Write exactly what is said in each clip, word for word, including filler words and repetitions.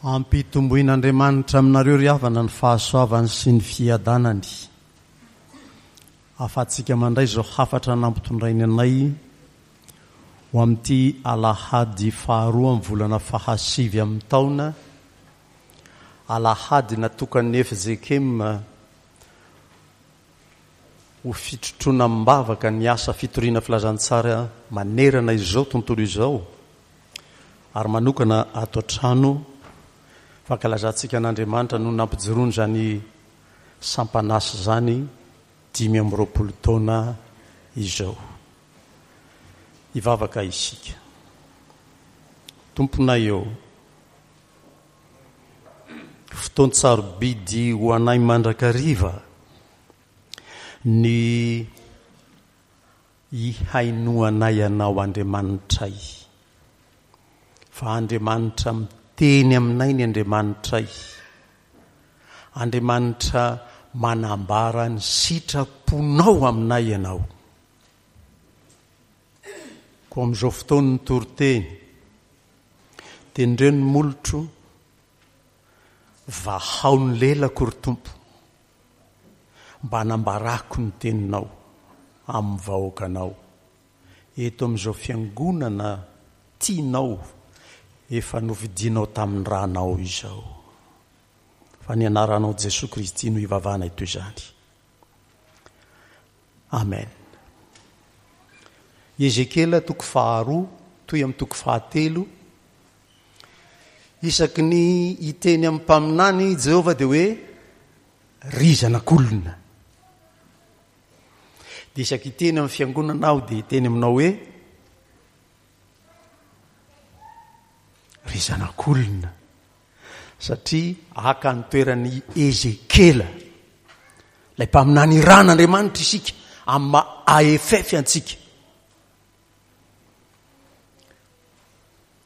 Ampitomboin'Andriamanitra aminareo ry havana ny fahasoavany sy ny fiadanany. Ahafahantsika mandray izao hafatra nampitondrainy anay ho amin'ity alahady faharoa amin'ny volana fahasivy amin'ny taona, alahady natokan'ny F J K M ho fitrotroana am-bavaka ny asa fitoriana filazantsara manerana izao tontolo izao ary manokana ato an-trano. Fankalazantsika an'Andriamanitra no nampijoroany izany sampanasa izany dimy amby roapolo taona izao. Hivavaka isika. Tomponay eo, fotoan-tsarobidy ho anay mandrakariva ny ihainoanay anao Andriamanitray. Fa Andriamanitra miteny aminay ny Andriamanitray. Andriamanitra manambara ny sitraponao aminay ianao. Koa amin'izao fotoana ny toriteny, tendreo ny molotro, vahao ny lelako ry Tompo, mba hanambarako ny teninao amin'ny vahoakanao. Eto amin'izao fiangonana tianao efa novidinao tamin'ny ranao izao. Fa ny anaranao Jesoa Kristy no ivavahana eto izany. Amen. Ezekiela toko faharoa toy amin'ny toko fahatelo. Isaky ny hiteny amin'ny mpaminany Jehovah dia hoe ry zanak'olona. Dia isaky hiteny amin'ny fiangonana aho dia hiteny aminao hoe ry zanak'olona, satria haka ny toeran'i Ezekiela ilay mpaminany iran'Andriamanitra isika amin'ny maha A F F antsika.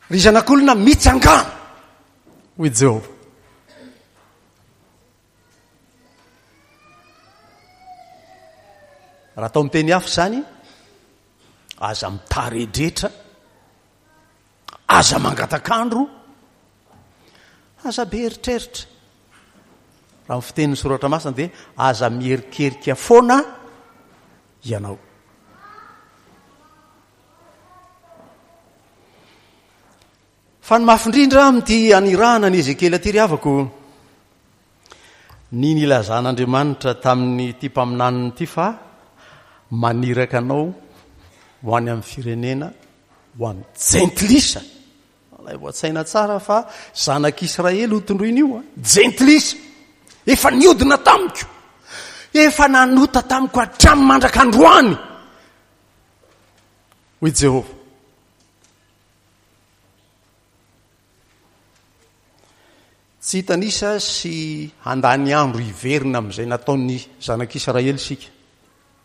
Ry zanak'olona, mitsangàna, hoy Jehovah. Raha atao miteny hafa izany, aza mitaredretra, aza mangatak'andro, aza be eritreritra. Raha ny fitenin'ny soratra masina dia aza mierikerika foana ianao. Fa ny mafy indrindra amin'ity anirahana ny Ezekiela ity ry havako, ny nilazan'Andriamanitra tamin'ity mpaminaniny ity fa maniraka anao ho any amin'ny firenena, ho amin'ny jentilisa. Alay voatsaina tsara fa zanak'Israely ho tondroina io, jentilisa. Efa niodina tamiko, efa nanota tamiko hatramin'ny mandrak'androany, hoy Jehovah. Tsy hitanisa sy handany andro hiverina amin'izay nataon'ny zanak'Israely isika.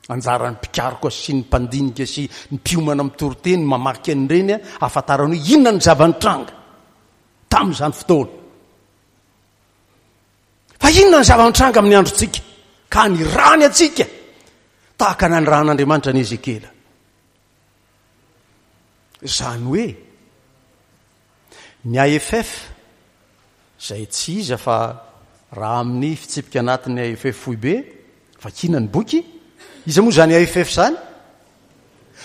Anjaran'ny mpikaroka sy ny mpandinika sy ny mpiomana amin'ny toriteny mamaky an'ireny ahafantarana hoe inona ny zava-nitranga tamin'izany fotoana. Fa inona ny zava-nitranga amin'ny androntsika ka nirany antsika tahaka ny naniran'Andriamanitra an'i Ezekiela. Izany hoe ny A F F izay tsy iza fa raha amin'ny fitsipika anatin'ny A F F foibe vakiana ny boky, iza moa izany A F F izany?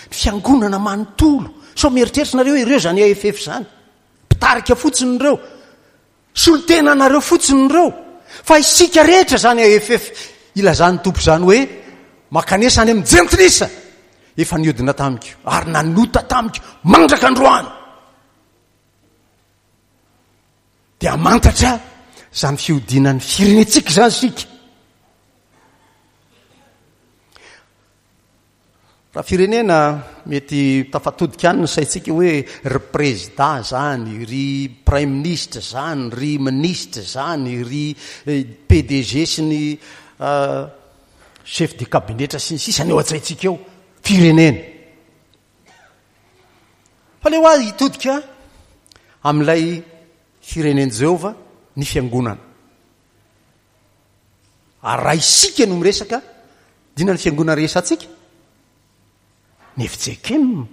Ny fiangonana manontolo. Sao mieritreritra nareo hoe ireo izany A F F izany? Mpitarika fotsiny ireo, solontena anareo fotsiny ireo. Fa isika rehetra izany A F F ilazan'ny Tompo izany hoe makanesa any amin'ny jentilisa efa niodina tamiko ary nanota tamiko mandraka androany. Dia hamantatra izany fihodinan'ny firenentsika izany isika. Raha firenena mety tafatodika any ny saintsika hoe ry président zany, ry prime ministre zany, ry ministre zany, ry P D G sy ny chef de cabinet sy ny sisa ny eo an-tsaintsika eo, firenena. Fa leo ahy hitodika amin'ilay firenen'i Jehovah ny fiangonana. Ary raha isika no miresaka, dina ny fiangonana rehesantsika? Ny F J K M.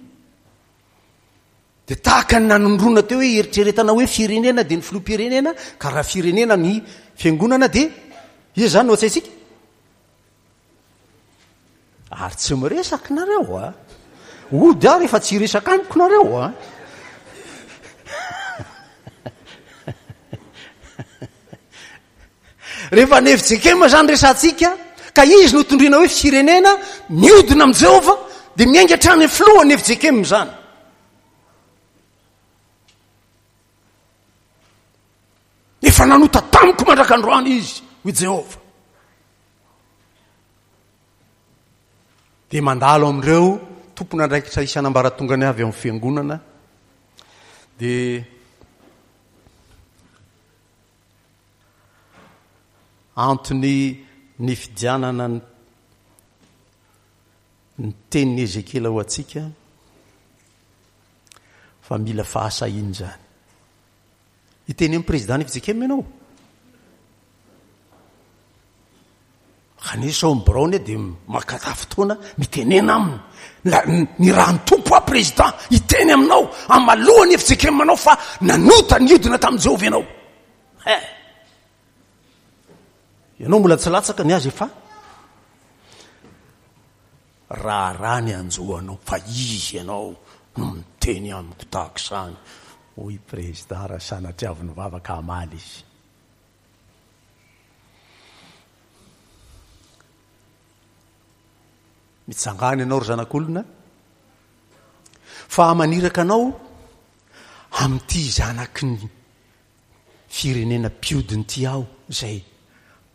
Dia tahaka ny nanondroana teo hoe eritreretana hoe firenena dia ny filoham-pirenena, ka raha firenena ny fiangonana dia iza izany no antsaintsika? Ary tsy miresaka nareo a. Ody aho rehefa tsy hiresaka amiko nareo a. Rehefa ny F J K M zany resantsika, ka izy no tondroina hoe firenena miodina amin'i Jehovah, dia miainga hatrany amin'ny filohan'ny F J K M zany. Efa nanota tamiko mandrak'androany izy, hoy Jehovah. Dia mandalo amin'ireo tompon'andraikitra isan'ambaratongany avy ao amin'ny fiangonana, dia antony nifidianana ny, ny tenin'i Ezekiela ho antsika, fa mila fahasahiana izany. Hiteny amin'ny président F J K M ianao. Kanefa ao amin'ny biraony dia makata fotoana mitenena aminy. La, ny raha ny tompo aho président hiteny aminao amalohan'ny F J K M anao fa nanota niodina tamin'i Jehovah ianao. Eh. Ianao mbola tsy latsaka ny azy efa raharaha ny anjoanao fa izy ianao no miteny amiko tahaka izany. Hoy président raha sanatria avy nivavaka hamaly izy. Mitsangana ianao ry zanak'olona fa maniraka anao amin'ity zanaky ny firenena mpiodina ity aho izay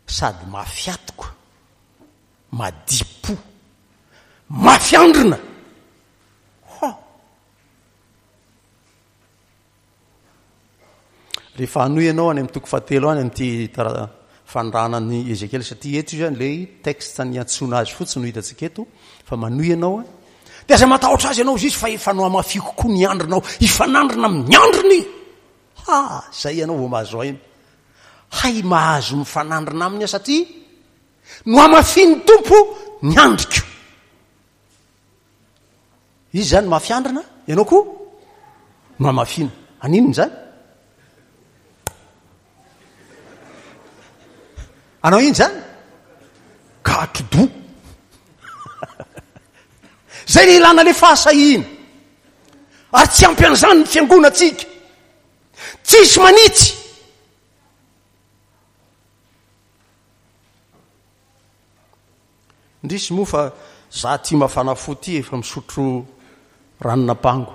sady mafy atoka, madipo, mafy andrina. Ha! Rehefa hanohy ianao any amin'ny toko fahatelo any amin'ity tara-, fanirahana ny Ezekiela, satria eto izany ilay texte niantsoana azy fotsiny no hitantsika eto, fa manohy ianao a. Dia aza matahotra azy ianao izy fa efa nohamafiko koa ny andrinao, hifanandrina amin'ny andriny. Ha, zay ianao vao mahazo aina. Hay mahazo mifanandrina aminy aho satria nohamafin'ny Tompo ny andriko. Izy zany mafy andrina, ianao koa nohamafina. Aninona izany? Anao iny zany? Katro-doha. Zay ny ilana le fahasahiana. Ary tsy ampy an'izany ny fiangonantsika. Tsisy manitsy. Indrisy moa fa za ty mafana fo ty efa misotro ranon'ampango.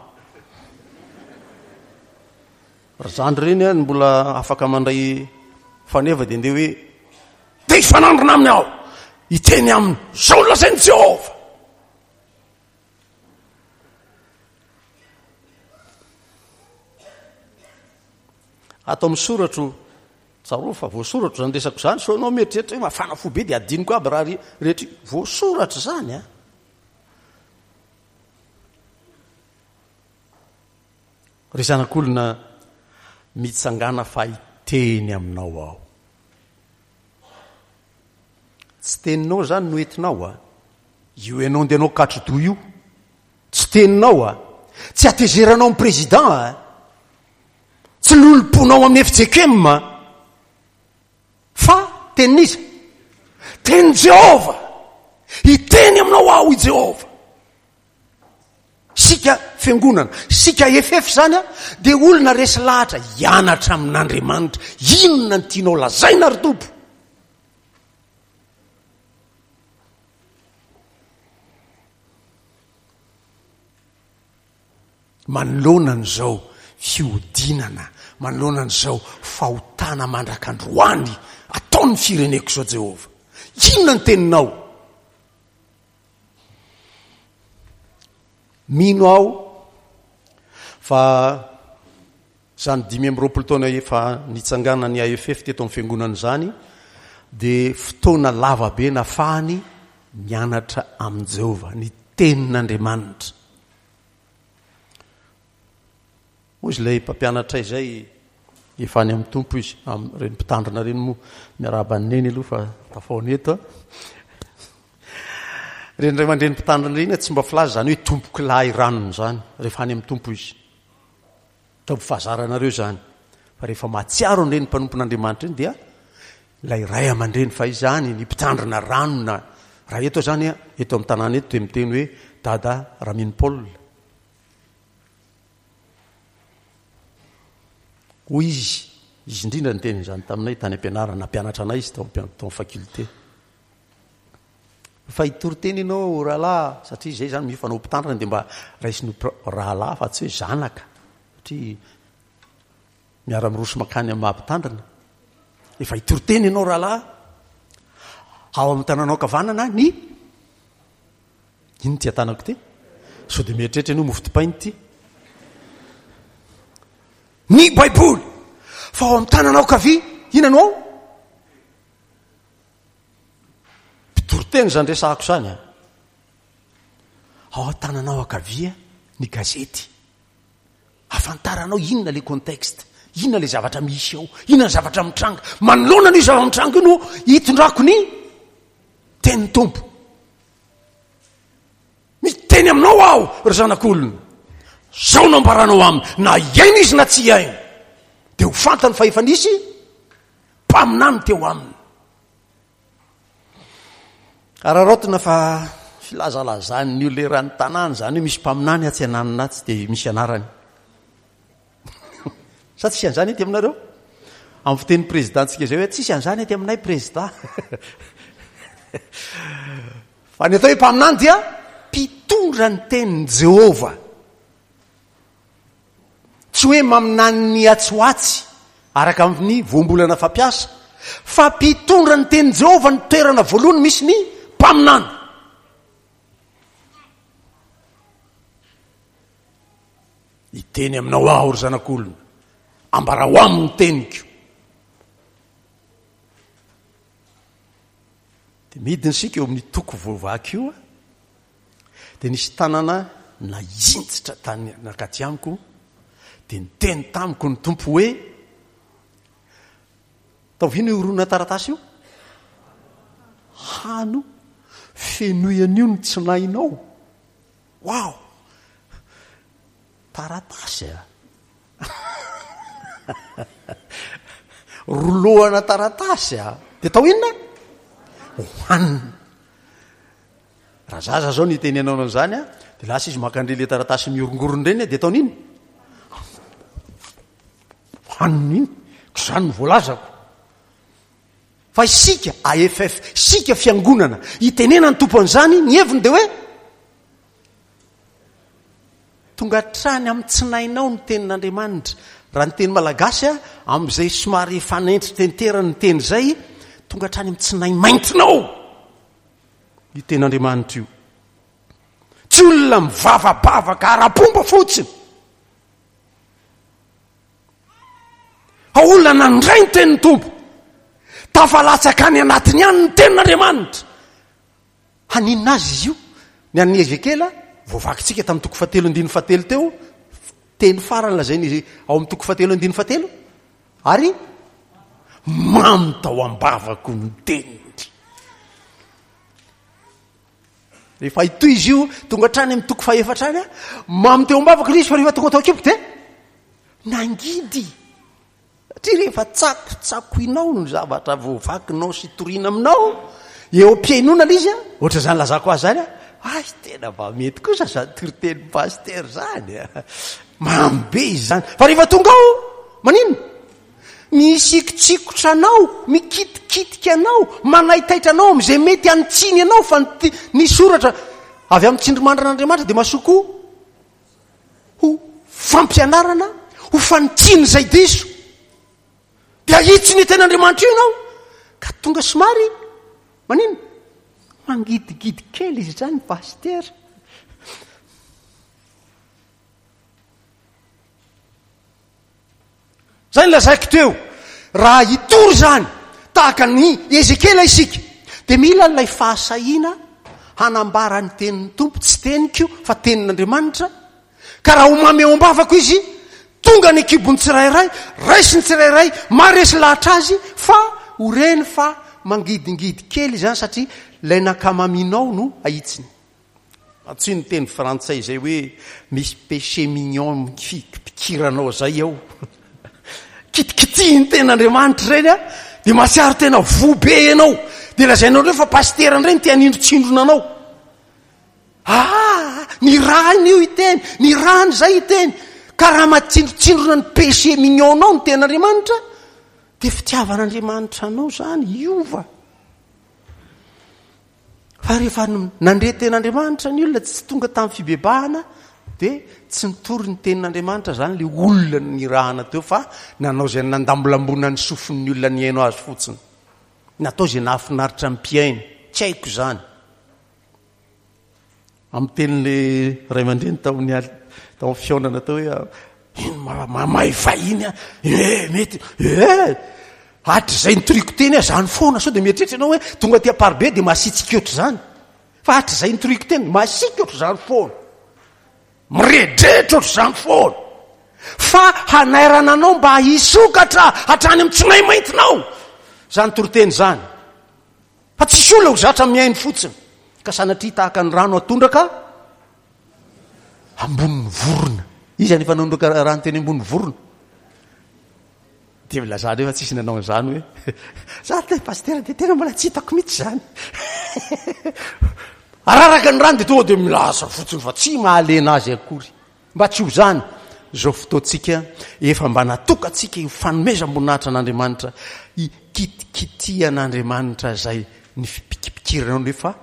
Ry zandry reny a, mbola afaka mandray faneva dia ndeha hoe te hifanandrina aminy aho, hiteny aminy, zao no lazain'i Jehovah. Ato amin'ny soratro, tsarovy fa voasoratro izany resako izany, sao ianao mieritreritra hoe mafana fo be dia adinoko aby raha re-, rehetra io. Voasoratra izany a. Ry zanak'olona, mitsangàna fa hiteny aminao aho. Tsy teninao izany no entinao a. Io ianao ndeha anao katro-doha io. Tsy teninao a. Tsy hatezeranao amin'ny président a. Tsy lolomponao amin'ny F J K M a. Fa tenin'iza? Tenin'i Jehovah. Hiteny aminao aho i Jehovah. Sika fiangonana, sika F F zany a, dia olona resy lahatra hianatra amin'Andriamanitra. Inona no tianao lazaina ry Tompo? Manoloana an'izao fihodinana, manoloana an'izao fahotana mandrak'androany ataon'ny fireneko izao Jehovah. Inona ny teninao? Mino aho fa izany dimy amby roapolo taona efa nitsanganan'ny A F F teto amin'ny fiangonana izany dia fotoana lava be nafahany mianatra amin'i Jehovah, ny tenin'Andriamanitra. Hoy izy ilay mpampianatra izay efa any amin'ny Tompo izy, amin'ireny mpitandrina ireny moa, miarahaba an'i Neny aloha fa tafahoana eto. Ireny ray aman-dreny mpitandrina ireny tsy mba filaza izany hoe tompoko lahy ranony izany rehefa any amin'ny Tompo izy. Ataovy fahazaranareo izany. Fa rehefa mahatsiaro an'ireny mpanompon'Andriamanitra ireny dia ilay ray aman-dreny fahizany, ny mpitandrina ranona. Raha eto izany, eto amin'ny tanàna eto dia miteny hoe Dada Ramino Paul. Hoy izy, izy indrindra niteny izany taminay tany am-pianarana, nampianatra anay izy tao amin'ny faculté. Fa hitory teny ianao rahalahy, satria izay izany mifanao mpitandrina dia mba raisiny rahalahy fa tsy hoe zanaka, satria miara-miroso mankany amin'ny maha mpitandrina. Efa hitory teny ianao rahalahy, ao amin'ny tananao ankavanana ny inona ity tanako ity? Sao dia mieritreritra ianao mofo dipaina ity? Ny Baiboly. Fa ao amin'ny tananao ankavia, inona no ao? Mpitory teny izany resahako izany a. Ao an-tananao ankavia ny gazety. Ahafantaranao inona le contexte, inona le zavatra misy ao, inona ny zavatra mitranga. Manoloana an'io zava-mitranga io no hitondrako ny tenin'ny Tompo. Miteny aminao aho, ry zanak'olona. Zao no ambaranao aminy, na hiaina izy na tsy hiaina, dia ho fantany fa efa nisy mpaminany teo aminy. Araraotina fa filazalazan'ny olona eran'ny tanàna izany hoe misy mpaminany atsy ananona atsy dia misy anarany. Sa tsisy an'izany ety aminareo? Amin'ny fitenin'ny président-tsika izay hoe tsisy an'izany ety aminay président. Fa ny atao hoe mpaminany dia mpitondra ny tenin'i Jehovah. Tsy hoe maminany ny atsy ho atsy araka ny voambolana fampiasa, fa mpitondra ny tenin'i Jehovah ny toerana voalohany misy ny mpaminany. Hiteny aminao aho, ry zanak'olona, ambarao aminy ny teniko. Dia midina isika eo amin'ny toko voavaky io, dia nisy tanana nahinjitra tany nakaty amiko, dia niteny tamiko ny Tompo hoe, taovina io horonan taratasy io? Hano, fenoy an'io ny tsinainao. Wow! Taratasy a! Rolohana taratasy a! Dia atao inona? Hohanina. Raha zaza zao niteny anao an'izany a, dia lasa izy maka an'ireny taratasy mihorongorona ireny a, dia ataony inona? Hohanina iny. Ko izany no voalazako. Fa isika A F F, isika fiangonana, itenena ny Tompo an'izany, ny heviny dia hoe tonga hatrany amin'ny tsinainao ny tenin'Andriamanitra. Raha ny teny malagasy, amin'izay somary fanentri-tenterany ny teny izay, tonga hatrany amin'ny tsinay maintinao io tenin'Andriamanitra io. Tsy olona mivavabavaka ara-pomba fotsiny. Fa olona nandray ny tenin'ny Tompo, tafalatsaka any anatiny any ny tenin'Andriamanitra. Haninona azy izy io? Ny an'i Ezekiela, voavakintsika tamin'ny toko fahatelo andininy fahatelo teo, teny farany lazain'izy ao amin'ny toko fahatelo andininy fahatelo, ary mamy tao am-bavako ny teniny. Rehefa hitohy izy io, tonga hatrany amin'ny toko fahefatra any, mamy teo am-bavako ilay izy, fa rehefa tonga tao an-kiboko dia nangidy. Satria rehefa tsakotsakoinao ny zavatra voavakinao sy toriana aminao, eo am-pihainoana ilay izy, ohatra izany lazako azy izany, ay tena mba mety kosa izany toritenin'ny pasitera izany, mamy be izy izany. Fa rehefa tonga ao, maninona? Misikotsikotra anao, mikitikitika anao, manaitaitra anao amin'izay mety hanitsiny anao, fa ny, ny soratra avy amin'ny tsindrimandrin'Andriamanitra dia mahasoa koa ho fampianarana, ho fanitsiana izay diso. Dia ahitsy ny tenin'Andriamanitra io ianao, ka tonga somary maninona? Mangidigidy kely izy izany, pasitera. Izay no lazaiko teo, raha hitory izany tahaka an'i Ezekiela isika, dia mila an'ilay fahasahiana hanambara ny tenin'ny Tompo, tsy teniko fa tenin'Andriamanitra, ka raha ho mamy eo am-bavako izy, tonga ny kibon'ny tsirairay, raisin'ny tsirairay, maharesy lahatra azy, fa ho reny fa mangidingidy kely izany satria ilay nankamaminao no ahitsiny. Antsoy ny teny frantsay izay hoe misy péché mignon fikiranao zay ao. Kitikitihiny tenin'Andriamanitra ireny a, dia mahatsiaro tena voa be ianao. Dia lazainao indray fa pasitera indray no te hanindrotsindrona anao. Ah, ny rany io hiteny, ny rany izay hiteny. Ka raha matsindrotsindrona ny péché mignon-nao ny tenin'Andriamanitra, dia fitiavan'Andriamanitra anao izany hiova. Fa rehefa nandre tenin'Andriamanitra ny olona tsy tonga tamin'ny fibebahana, dia tsy nitory ny tenin'Andriamanitra izany ilay olona nirahana teo, fa nanao izay nandambolambona ny sofin'ny olona nihaino azy fotsiny. Natao izay nahafinaritra ny mpihaino. Tsy haiko izany. Amin'ny tenin'ilay ray aman-dreny tao amin'ny al-, tao amin'ny fihaonana tao hoe, ino ma-, mamay vahiny aho. Eh, mety. Eh, hatrizay nitoriko teny aho izany foana. Sao dia mieritreritra ianao hoe tonga aty Amparibe dia masiatsiaka ohatr'izany. Fa hatrizay nitoriko teny, masiaka ohatr'izany foana. Miredretra ohatr'izany foana. Fa hanairana anao mba hisokatra hatrany amin'ny tsinay maintinao izany toriteny izany. Fa tsisy olona ho zatra mihaino fotsiny. Ka sanatria tahaka ny rano atondraka ambonin'ny vorona. Izy anefa nanondraka rano teny ambonin'ny vorona. Dia milaza rehefa tsisy nanao an'izany hoe, za te pasitera dia tena mbola tsy hitako mihitsy izany. Araraka ny rano dia tonga dia milaza fotsiny fa tsy mahalena azy akory. Mba tsy ho izany izao fotoantsika efa mba natokantsika io fanomezam-boninahitra an'Andriamanitra, hikitikitian'Andriamanitra izay ny fipikipikiranao nefa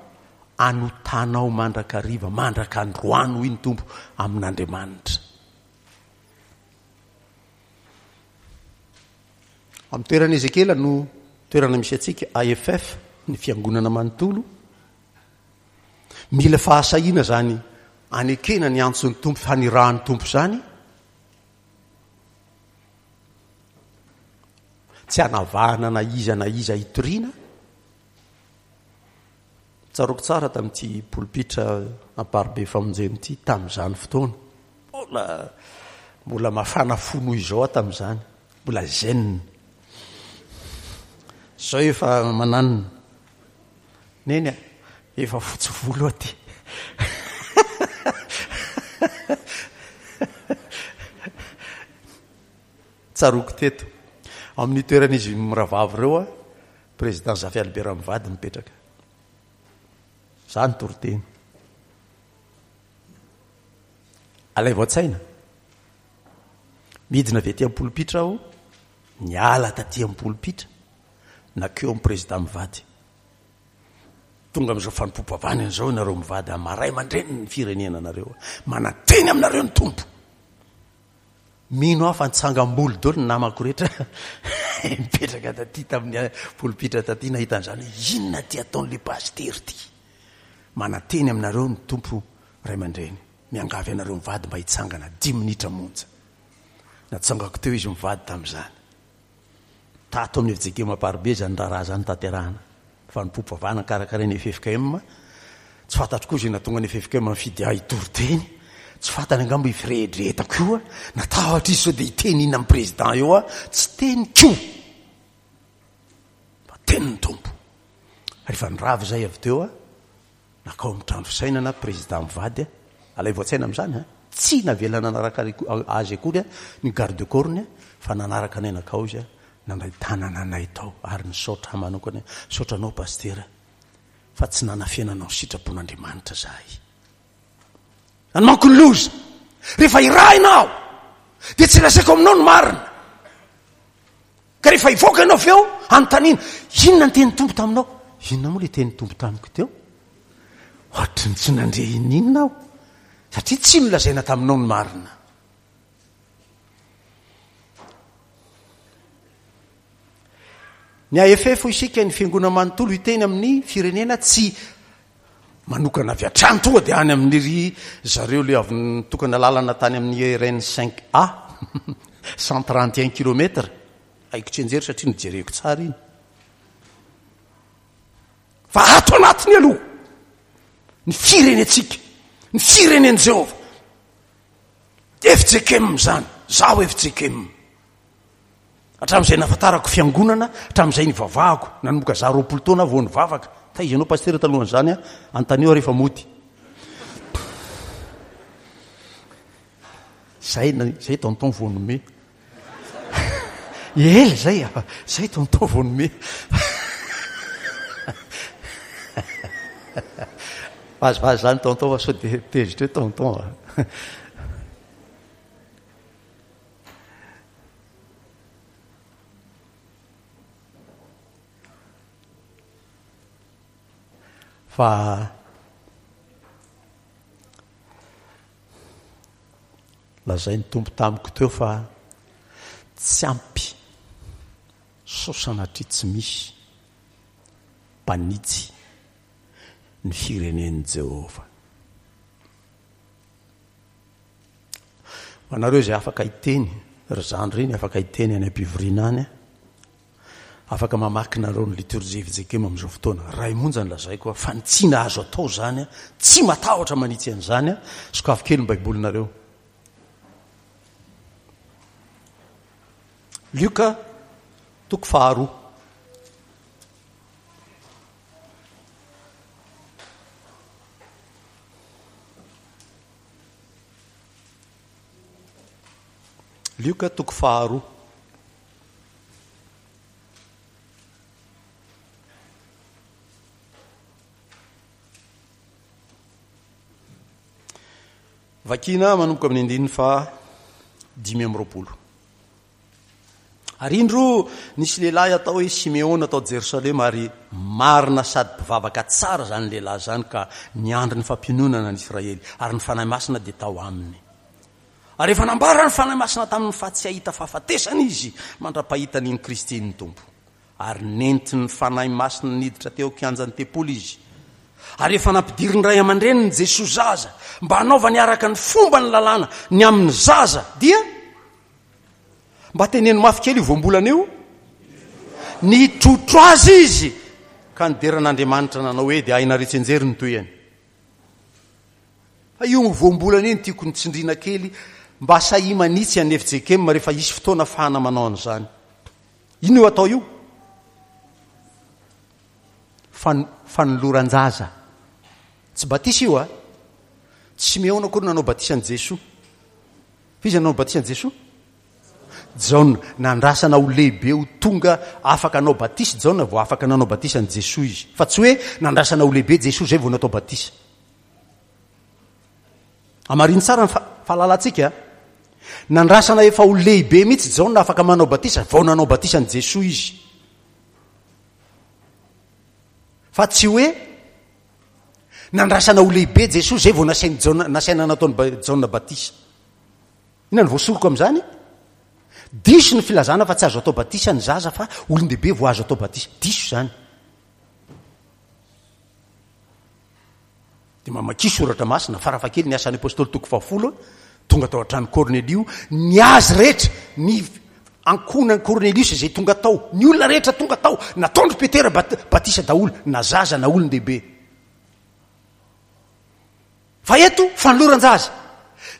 anotanao mandrakariva, mandrak'androany hoy ny Tompo amin'Andriamanitra. Amin'ny toerana Ezekiela no toerana misy antsika, A F F, ny fiangonana manontolo. Mila fahasahiana zany anekena ny antson'ny Tompo, fanirahan'ny Tompo zany. Tsy anavahana na iza na iza hitoriana. Tsaroako tsara tamin'ity polipitra Amparibe Famonjena ity tamin'izany fotoana. Mbola, mbola mafana fo noho izao aho tamin'izany. Mbola zen. Izao efa mananona. Neny a, efa fotsy volo aty. Tsaroako teto. Amin'ny toeran'izy mirahavavy ireo a, président Zafy Albert mivady mipetraka. Za ny toriteny. Alaivo an-tsaina. Midina avy aty amin'ny polipitra aho, niala taty amin'ny polipitra, nakeo amin'ny président mivady. Tonga amin'izao fanompoam-pivavahana izao ianareo mivady, amaray aman-dreny ny firenena anareo. Mananteny aminareo ny Tompo. Mino aho fa nitsangam-bolo daholo ny namako rehetra. Mipetraka taty tamin'ny polipitra taty nahita an'izany hoe inona ty ataon'ilay pasitera ty. Mananteny aminareo ny Tompo ray aman-dreny. Miangavy anareo mivady mba hitsangana dimy minitra monja. Natsangako teo izy mivady tamin'izany. Tato amin'ny F J K M Amparibe izany raharaha izany tanterahana. Fanompoam-pivavahana karakarain'ny F F K M. Tsy fantatro koa izay nahatonga ny F F K M nifidy ahy hitory teny. Tsy fantany angamba io firehetrehetako io a. Natahotra izy sao dia hiteny inona amin'ny président eo a. Tsy teniko. Fa tenin'ny Tompo. Rehefa nirava izay avy teo a, nakao amin'ny trano fisainana président mivady a. Alaivo an-tsaina amin'izany a. Tsy navela nanaraka azy akory a, ny garde corps-ny a, fa nanaraka anay nakao izy a, nandray tanana anay tao ary nisaotra ahy manokana, misaotra anao pasitera fa tsy nanafenanao sitrapon'Andriamanitra zahay. Any manko ny loza. Rehefa irahina aho dia tsy lazaiko aminao ny marina. Ka rehefa hivoaka ianao avy eo, anontaniana, inona ny tenin'ny Tompo taminao? Inona moa ilay tenin'ny Tompo tamiko teo? Ohatry ny tsy nandre ininona aho, satria tsy nolazaina taminao ny marina. Ny A F F hoy isika, ny fiangonana manontolo hiteny amin'ny firenena tsy manokana avy hatrany tonga dia any amin'ny ry zareo le avy nitokana lalana tany amin'ny R N cinq A, cent trente et un kilomètres. Haiko tsy anjery satria nojereko tsara iny. Fa ato anatiny aloha ny firenentsika, ny firenen'i Jehovah. F J K M izany, zaho F J K M. Hatramin'izay nahafantarako fiangonana, hatramin'izay nivavahako, nanomboka za roapolo taona aho vao nivavaka. Taiza ianao pasitera talohan'izany a? Antanio aho rehefa mody. Zay zay tonton vao nome. Ela zay, zay tonton vao nome. Vazivazy zany tonton fa sao dia tezitra eo tonton. Fa lazain'ny Tompo tamiko teo fa tsy ampy sao sanatria tsy misy mpanitsy ny firenen'i Jehovah. Ho anareo izay afaka hiteny, ry zandry iny afaka hiteny any am-pivoriana any, afaka mamaky nareo ny liturgie F J K M amin'izao fotoana. Ray monja ny lazaiko, fanitsiana azo atao zany, tsy matahotra manitsy an'izany, sokafo kely ny Baibolinareo. Lioka toko faharoa. Lioka toko faharoa. Vakina manomboka amin'ny andininy faha dimy amby roapolo. Ary indro nisy lehilahy atao hoe Simeona tao Jerosalema, ary marina sady mpivavaka tsara zany lehilahy zany ka niandry ny fampiononana ny Israely, ary ny Fanahy Masina dia tao aminy. Ary efa nambara ny Fanahy Masina taminy fa tsy hahita fahafatesana izy mandra-pahitany ny Kristy ny Tompo. Ary nentin'ny Fanahy Masina niditra teo an-kianjan'ny tempoly izy. Ary efa nampidirin'ny ray aman-dreniny Jesoa zaza mba hanaovany araka ny fomba ny lalàna ny amin'ny zaza, dia mba teneno mafy kely io voambolana io, nitrotro azy izy ka nidera an'Andriamanitra nanao hoe, dia hainareo tsianjery ny tohiny. Fa io voambolana iny tiako nitsindrina kely mba sahia manitsy an'ny F J K M rehefa hisy fotoana ahafahana manao an'izany. Inona io atao io? Fan-, fanoloran-jaza. Tsy batisa io a. Tsy Simeona akory nanao batisa an'i Jesoa. Fa iza nanao batisa an'i Jesoa? Jaona. Nandrasana ho lehibe ho tonga afaka hanao batisa Jaona vao afaka nanao batisa an'i Jesoa izy. Fa tsy hoe nandrasana ho lehibe Jesoa zay vao natao batisa. Amarino tsara ny fa-, fahalalantsika. Nandrasana efa ho lehibe mihitsy Jaona afaka manao batisa vao nanao batisa an'i Jesoa izy. Fa tsy hoe nandrasana ho lehibe Jesoa zay vao nasain'i Jaona, nasaina nataon'i Ba-, Jaona batisa. Inona no voasoroko amin'izany? Diso ny filazana fa tsy azo atao batisa ny zaza fa olon-dehibe vao azo atao batisa. Diso izany. Dia mamakia soratra masina, farafakely ny asan'ny apôstôly toko fahafolo, tonga tao an-trano Kornelio, ny azy rehetra, ny ankohonan'i Kornelius izay tonga tao, ny olona rehetra tonga tao, nataondry Petera bat-, batisa daholo, na zaza na olon-dehibe. Fa eto fanoloran-jaza.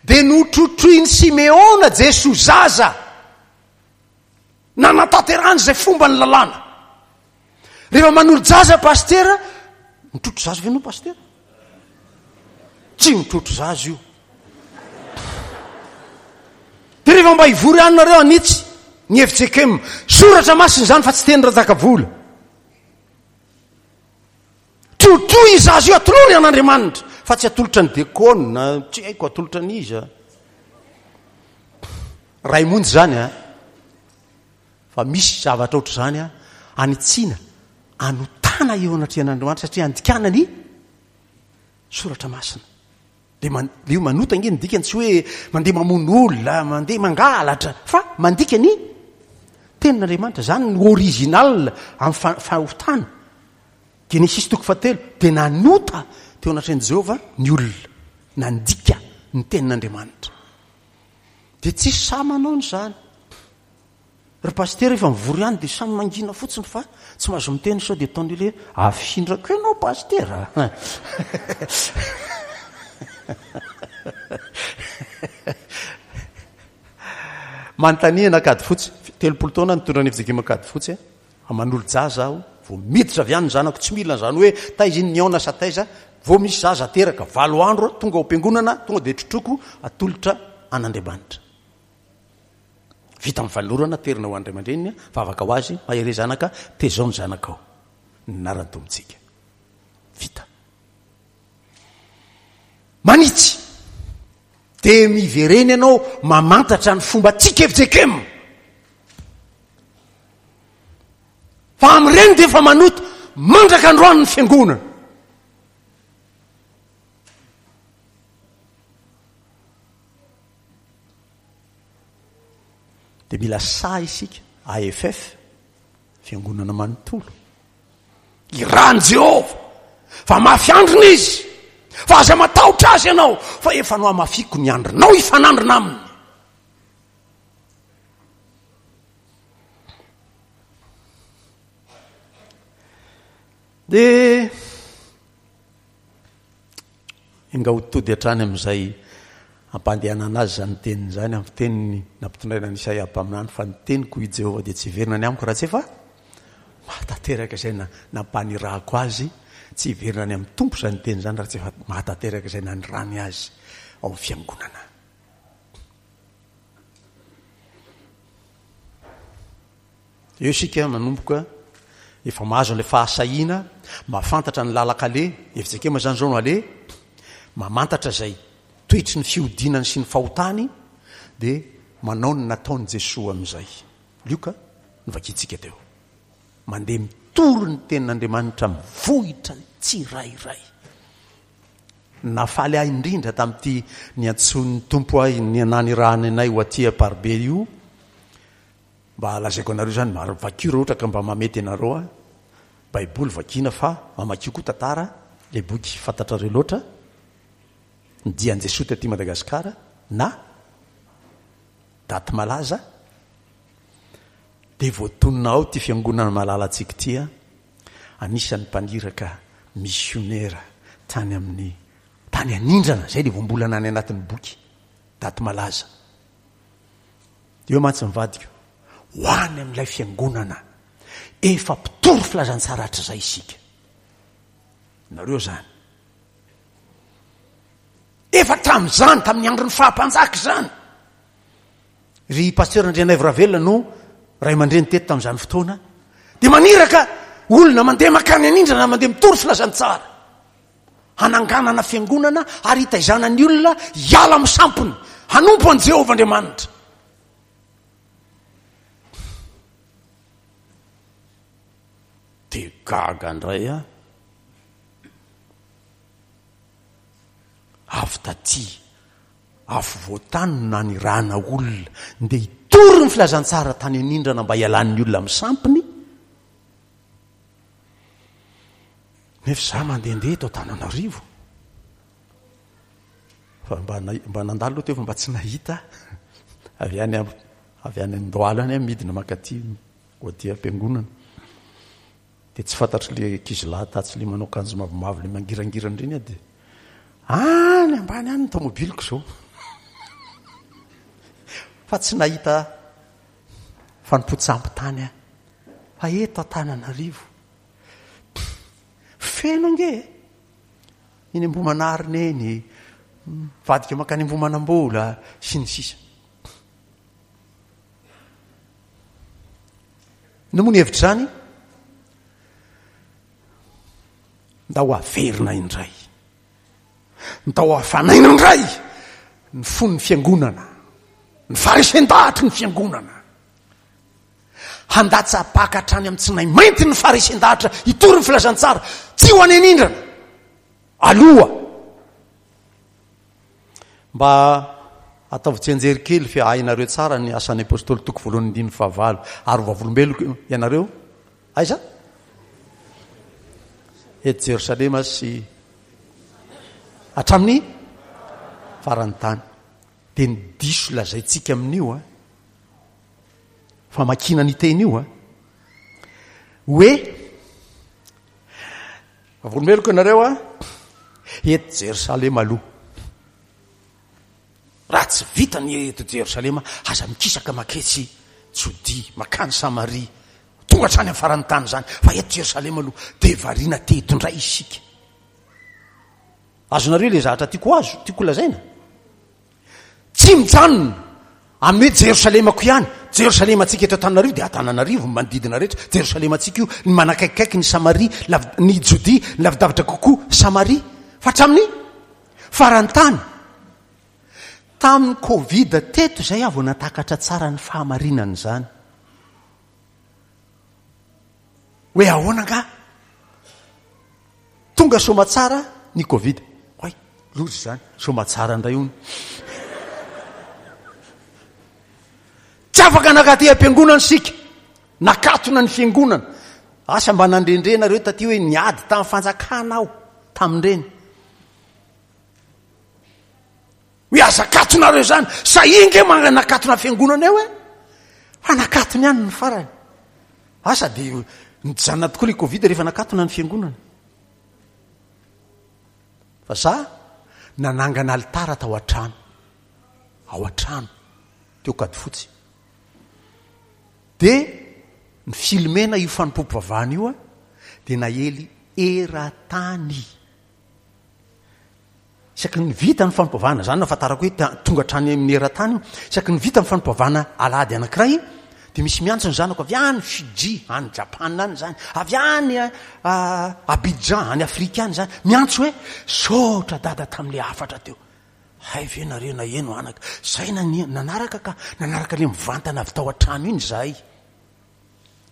Dia notrotroin'i Simeona Jesoa zaza. Nanatanterahany izay fomba ny lalàna. Rehefa manolo-jaza pastera, mitrotro zaza ve ianao pastera? Tsy mitrotro zaza io. Dia rehefa mba hivory any nareo hanitsy ny F J K M, soratra masina izany fa tsy teny Ranjakavola. Trotroy io zaza io, atolory an'Andriamanitra fa tsy atolotra ny dekona, tsy haiko atolotra an'iza. Ray monjy izany a, fa misy zavatra ohatr'izany a, anitsiana, anotana eo anatrehan'Andriamanitra satria andikana ny soratra masina. Le man-, le io manota ange ny dikany tsy hoe mandeha mamono olona, mandeha mangalatra, fa mandika ny tenin'Andriamanitra. Zany no original amin'ny fa-, fahotana. Genesis toko fahatelo, dia nanota teo anatrehan'i Jehovah ny olona, nandika ny tenin'Andriamanitra. Dia tsisy sahy manao an'izany. Ry pasitera efa mivory ihany dia samy mangina fotsiny fa tsy mahazo miteny sao dia ataon'ny olona hoe afindrako ianao pasitera. Manontania an'Ankadifotsy, telopolo taona nitondra ny F J K M Ankadifotsy, manolo-jaza aho, vao miditra avy any ny zanako, tsy mila an'izany hoe taiza iny nihaona sa taiza, vao misy zaza teraka valo andro tonga ao am-piangonana, tonga dia trotroko atolotra an'Andriamanitra. Vita amin'ny fanolorana, terina ho an'ny ray aman-dreniny, vavaka ho azy, mahereza zanaka, tezao ny zanakao. Ny anaran'ny Tompontsika. Vita. Manitsy. Dia miverena ianao mamantatra ny fomba tsika F J K M. Fa amin'ireny dia efa manota mandraka androany ny fiangonana. Dia mila sahy isika, A F F, fiangonana manontolo. Iran'i Jehovah, fa mafy andrina izy, fa aza matahotra azy ianao, fa efa nohamafiko ny andrinao hifanandrina aminy. Dia enga ho tody hatrany amin'izay ampandehanana azy izany teniny izany, amin'ny fiteniny nampitondraina an'i Isaia mpaminany, fa ny teniko i Jehovah dia tsy hiverina any amiko raha tsy efa mahatanteraka izay nampanirahako azy. Tsy hiverina any amin'ny Tompo izany teny izany raha tsy efa mahatanteraka izay nanirahany azy ao amin'ny fiangonana. Eo isika manomboka efa mahazo an'ilay fahasahiana, mahafantatra ny lalan-kale, F J K M izany izao no ale, mamantatra izay toetry ny fihodinany sy ny fahotany, dia manao ny nataon'i Jesoa amin'izay. Lioka, novakintsika teo. Mandeha mitory ny tenin'Andriamanitra mivohitra ny tsirairay. Nafaly ahy indrindra tamin'ity niantsoan'ny Tompo ahy ny nanirahany anay ho aty Amparibe io. Mba lazaiko anareo izany, mba vakio raha ohatra ka mba mamety anareo aho. Baiboly vakiana fa mamakio koa tantara, ilay boky fantatrareo loatra, ny dian'i Jesoa taty Madagasikara na daty malaza, dia voatonona ao ity fiangonana malalantsika ity, anisan'ny mpaniraka misionera tany amin'ny tany anindrana, izay ilay voambolana any anatin'ny boky daty malaza. Eo mantsy mivadika ho any amin'ilay fiangonana efa mpitory filazantsara hatrizay isika. Nareo izany efa tamin'izany, tamin'ny andron'ny fahampanjaka izany. Ry pasteur Andrianaivo Ravelona no ray aman-dreny teto tamin'izany fotoana, dia maniraka olona mandeha makany anindrana, mandeha mitory filazantsara, hananganana fiangonana ary hitaizana ny olona hiala amin'ny sampiny, hanompo an'i Jehovah Andriamanitra. Dia gaga indray aho. Avy taty afovoan-tany no nanirahana olona ndeha hitory ny filazantsara tany anindrana mba hialan'ny olona amin'ny sampiny. Nefa izaho mandehandeha eto Antananarivo. Fa mba na-, mba nandalo aloha teo fa mba tsy nahita. Avy any am-, avy any Andohalo any aho midina mankaty ho aty am-piangonana. Dia tsy fantatro le ankizilahy tatsy le manao akanjo mavomavo le mangirangirana ireny aho, dia any ambany any ny tomobiliko izao. Fa tsy nahita fanompoan-tsampy tany aho. Fa eto Antananarivo feno ange eny Ambohimanarina eny, mivadika mankany Ambohimanambola sy ny sisa. Inona moa ny hevitra izany? Ndao averina indray, ndao afanaina indray ny fon'ny fiangonana, ny faharesen-dahatry ny fiangonana. Handatsa-paka hatrany amin'ny tsinay mainty ny faharesen-dahatra hitory ny filazantsara, tsy ho any anindrana aloha. Mba ataovy tsianjery kely fa hainareo tsara ny asan'ny apôstôly toko voalohany andininy fahavalo, ary ho vavolombeloko ianareo aiza? Eto Jerosalema sy hatramin'ny faran'ny tany. Dia ny diso lazaintsika amin'io, a, famakiana ny teny io, a, hoe vavolombeloko ianareo, a, eto Jerosalema aloha. Raha tsy vita ny eto Jerosalema, aza mikisaka maketsy Jodia, makany Samaria, tonga hatrany amin'ny faran'ny tany izany, fa eto Jerosalema aloha dia variana teto indray isika. Azonareo ilay zavatra tiako azo, tiako lazaina? Tsy mijanona amin'ny hoe Jerosalemako ihany. Jerosalemantsika eto Antananarivo dia Antananarivo ny manodidina rehetra. Jerosalemantsika io, ny manakaikikaiky ny Samaria, lav-, ny Jodia, ny lavidavitra kokoa Samaria, fa hatramin'ny faran'ny tany. Tamin'ny Covid teto izay aho vao nahatakatra tsara ny fahamarinan'izany. Hoe ahoana angaha? Tonga soamatsara ny Covid. Oay, loza izany, soamatsara indray hono. Tsy afaka nankaty am-piangonana isika. Nakatona ny fiangonana. Asa mba nandrendre nareo taty hoe niady tamin'ny fanjakana aho tamin'ireny. Hoe aza akatonareo izany. Sahia nge manakatona fiangonana eo e. Fa nakatony ihany ny farany. Asa dia nijanona tokoa ilay Covid rehefa nakatona ny fiangonana. Fa za nanangana alitara tao an-trano. Ao an-trano. Teo Ankadifotsy. Dia ny filmena io fanompoam-pivavahana io dia naely eran-tany. Isaky ny vita ny fanompoam-pivavahana, izany no ahafantarako hoe tonga hatrany amin'ny eran-tany io. Isaky ny vita ny fanompoam-pivavahana alahady anankiray dia misy miantso ny zanako avy any Fiji, any Japana any izany, avy any Abidjan, any Afrika any izany, miantso hoe saotra dada tamin'ilay hafatra teo. Hay ve nareo naheno anaka? Zay nania, nanaraka ka, nanaraka le mivantana avy tao an-trano iny izahay.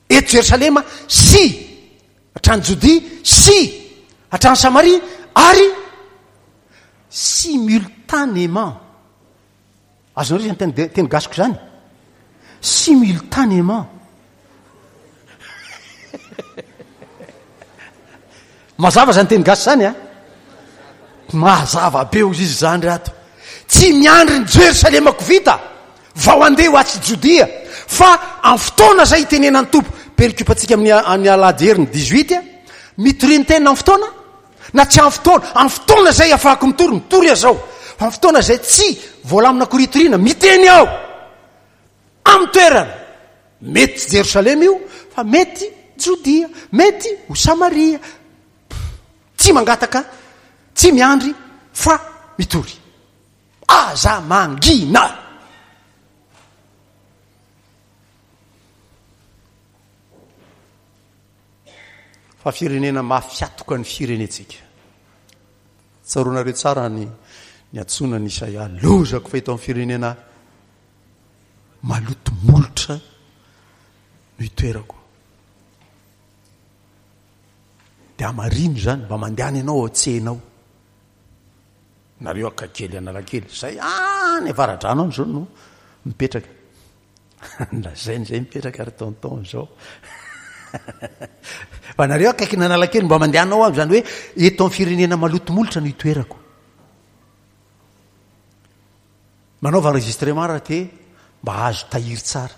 Eto Jerosalema sy hatrany Jodia sy hatrany Samaria ary simultanément. Azonareo izany teny, teny gasiko izany? Simultanément. Mazava izany teny gasy izany a? Mazava be hozy izy izany ry ato. Tsy miandry ny Jerosalemako vita vao handeha ho atsy Jodia, fa amin'ny fotoana izay itenenan'ny Tompo, perikopantsika amin'ny amin'ny alahady heriny dix-huit, mitoria ny tenina amin'ny fotoana na tsy amin'ny fotoana, amin'ny fotoana izay afahako mitory, mitory aho izao, fa amin'ny fotoana izay tsy voalamina akory hitoriana, miteny aho amin'ny toerana. Mety tsy Jerosalema io, fa mety Jodia, mety ho Samaria. Tsy mangataka, tsy miandry, fa mitory. Aza mangina! Fa firenena mafy hatoka ny firenentsika. Tsaroanareo tsara ny niantsoana an'i Isaia, lozako fa eto amin'ny firenena maloto molotra no itoerako. Dia hamarino izany, mba mandehana ianao ao an-tsena ao. Nareo Akakely Analakely, izay any Avaradrano any izao no mipetraka. Lazainy izay mipetraka ry tonton izao. Fa nareo akaikin'Analakely mba mandehana ao izany hoe eto amin'ny firenena maloto molotra no itoerako. Manaova enregistrement raha te mba hahazo tahiry tsara.